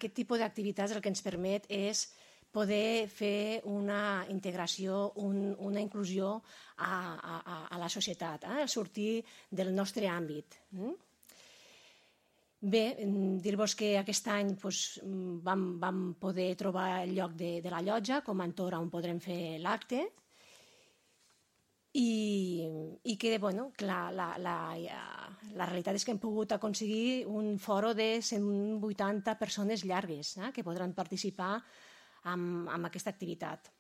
aquest tipus d'activitats el que ens permet és poder fer una integració, una inclusió a la societat, sortir del nostre àmbit. Bé, dir-vos que aquest any vam poder trobar el lloc de la llotja com a entorn on podrem fer l'acte i que la realitat és que hem pogut aconseguir un foro de 180 persones llargues que podran participar en aquesta activitat.